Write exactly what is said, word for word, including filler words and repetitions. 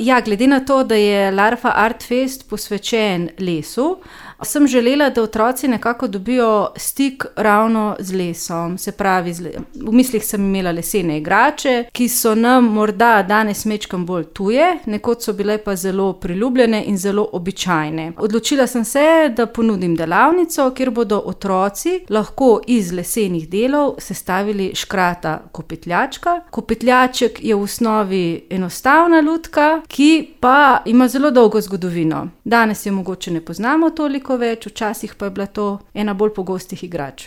ja, glede na to, da je Larfa Art Fest posvečen lesu, sem želela, da otroci nekako dobijo stik ravno z lesom. Se pravi, v mislih sem imela lesene igrače, ki so nam morda danes majčkeno bolj tuje, nekoč so bile pa zelo priljubljene in zelo običajne. Odločila sem se, da ponudim delavnico, kjer bodo otroci lahko iz lesenih delov sestavili škrata kopitljačka. Kopitljaček je v osnovi enostavna lutka, ki pa ima zelo dolgo zgodovino. Danes je mogoče ne poznamo toliko več, včasih pa je bila to ena bolj pogostih igrač.